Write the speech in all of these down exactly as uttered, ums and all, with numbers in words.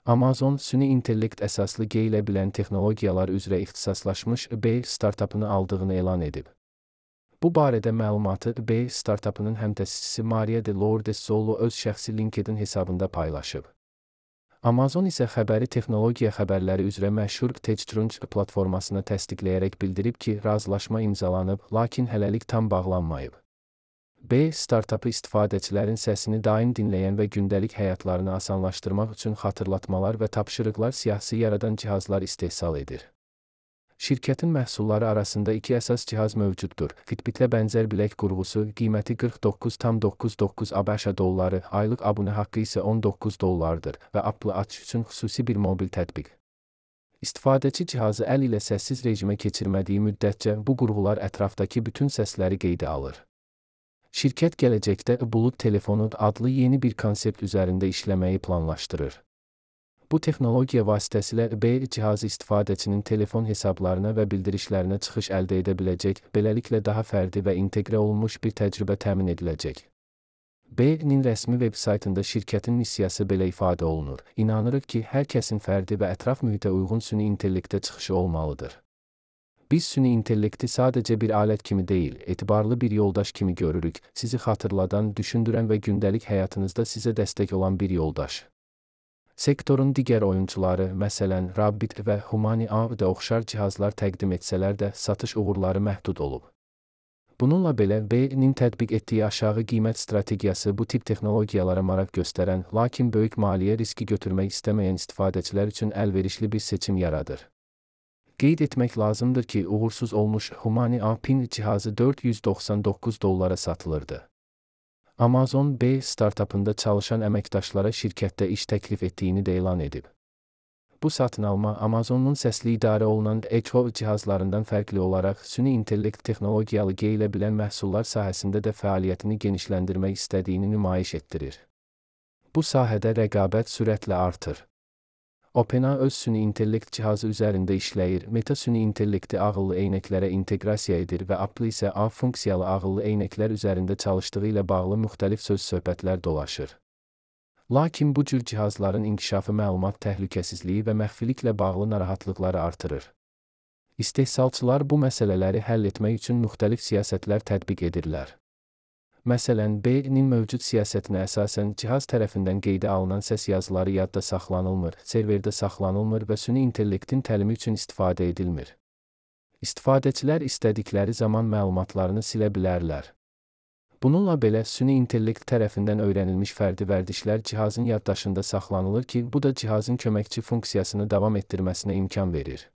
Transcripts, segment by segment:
Amazon, süni intellekt əsaslı geyilə bilən texnologiyalar üzrə ixtisaslaşmış B startapını aldığını elan edib. Bu barədə məlumatı B startapının həmtəsisçisi Maria de Lourdes Zollo öz şəxsi LinkedIn hesabında paylaşıb. Amazon isə xəbəri texnologiya xəbərləri üzrə məşhur TechCrunch platformasına təsdiqləyərək bildirib ki, razılaşma imzalanıb, lakin hələlik tam bağlanmayıb. B startapı istifadəçilərin səsini daim dinləyən və gündəlik həyatlarını asanlaşdırmaq üçün xatırlatmalar və tapşırıqlar siyahısı yaradan cihazlar istehsal edir. Şirkətin məhsulları arasında iki əsas cihaz mövcuddur. Fitbitlə bənzər bilək qurğusu, qiyməti qırx doqquz min doqquz yüz doqquz doqquz ABŞ dolları, aylıq abunə haqqı isə on doqquz dollardır və Apple Watch üçün xüsusi bir mobil tətbiq. İstifadəçi cihazı əl ilə səssiz rejimə keçirmədiyi müddətcə bu qurğular ətrafdakı bütün səsləri qeydə alır. Şirkət gələcəkdə Bulud telefonu adlı yeni bir konsept üzərində işləməyi planlaşdırır. Bu texnologiya vasitəsilə B cihazı istifadəçinin telefon hesablarına və bildirişlərinə çıxış əldə edə biləcək, beləliklə daha fərdi və inteqrə olunmuş bir təcrübə təmin ediləcək. B-nin rəsmi veb-saytında şirkətin missiyası belə ifadə olunur. İnanırıq ki, hər kəsin fərdi və ətraf mühitə uyğun süni intellektə çıxışı olmalıdır. Biz süni intellekti sadəcə bir alət kimi deyil, etibarlı bir yoldaş kimi görürük, sizi xatırladan, düşündürən və gündəlik həyatınızda sizə dəstək olan bir yoldaş. Sektorun digər oyunçuları, məsələn, Rabbit və Humani.A da oxşar cihazlar təqdim etsələr də satış uğurları məhdud olub. Bununla belə B-nin tətbiq etdiyi aşağı qiymət strategiyası bu tip texnologiyalara maraq göstərən, lakin böyük maliyyə riski götürmək istəməyən istifadəçilər üçün əlverişli bir seçim yaradır. Qeyd etmək lazımdır ki, uğursuz olmuş Humani.A PIN cihazı dörd yüz doxsan doqquz dollara satılırdı. Amazon B startapında çalışan əməkdaşlara şirkətdə iş təklif etdiyini də elan edib. Bu satın alma Amazonun səsli idarə olunan Echo cihazlarından fərqli olaraq süni intellekt texnologiyalı geyilə bilən məhsullar sahəsində də fəaliyyətini genişləndirmək istədiyini nümayiş etdirir. Bu sahədə rəqabət sürətlə artır. OpenAI öz süni intellekt cihazı üzərində işləyir, Meta süni intellekti ağıllı eynəklərə inteqrasiya edir və Apple isə A funksiyalı ağıllı eynəklər üzərində çalışdığı ilə bağlı müxtəlif söz-söhbətlər dolaşır. Lakin bu cür cihazların inkişafı məlumat təhlükəsizliyi və məxfiliklə bağlı narahatlıqları artırır. İstehsalçılar bu məsələləri həll etmək üçün müxtəlif siyasətlər tətbiq edirlər. Məsələn, B-nin mövcud siyasətinə əsasən cihaz tərəfindən qeydə alınan səs yazıları yadda saxlanılmır, serverdə saxlanılmır və süni intellektin təlimi üçün istifadə edilmir. İstifadəçilər istədikləri zaman məlumatlarını silə bilərlər. Bununla belə, süni intellekt tərəfindən öyrənilmiş fərdi vərdişlər cihazın yaddaşında saxlanılır ki, bu da cihazın köməkçi funksiyasını davam etdirməsinə imkan verir.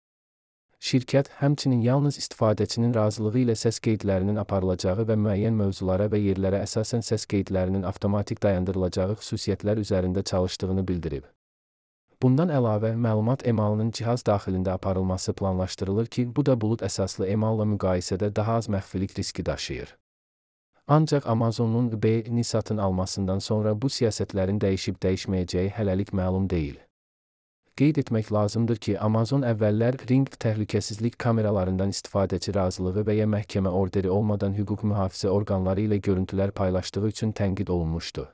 Şirkət həmçinin yalnız istifadəçinin razılığı ilə səs qeydlərinin aparılacağı və müəyyən mövzulara və yerlərə əsasən səs qeydlərinin avtomatik dayandırılacağı xüsusiyyətlər üzərində çalışdığını bildirib. Bundan əlavə, məlumat emalının cihaz daxilində aparılması planlaşdırılır ki, bu da bulud əsaslı emalla müqayisədə daha az məxfilik riski daşıyır. Ancaq Amazonun B-ni satın almasından sonra bu siyasətlərin dəyişib dəyişməyəcəyi hələlik məlum deyil. Qeyd etmək lazımdır ki, Amazon əvvəllər Ring təhlükəsizlik kameralarından istifadəçi razılığı və ya məhkəmə orderi olmadan hüquq mühafizə orqanları ilə görüntülər paylaşdığı üçün tənqid olunmuşdu.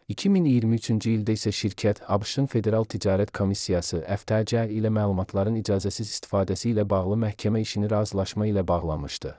iki min iyirmi üçüncü ildə isə şirkət ABŞ-ın Federal Ticarət Komissiyası F T C ilə məlumatların icazəsiz istifadəsi ilə bağlı məhkəmə işini razılaşma ilə bağlamışdı.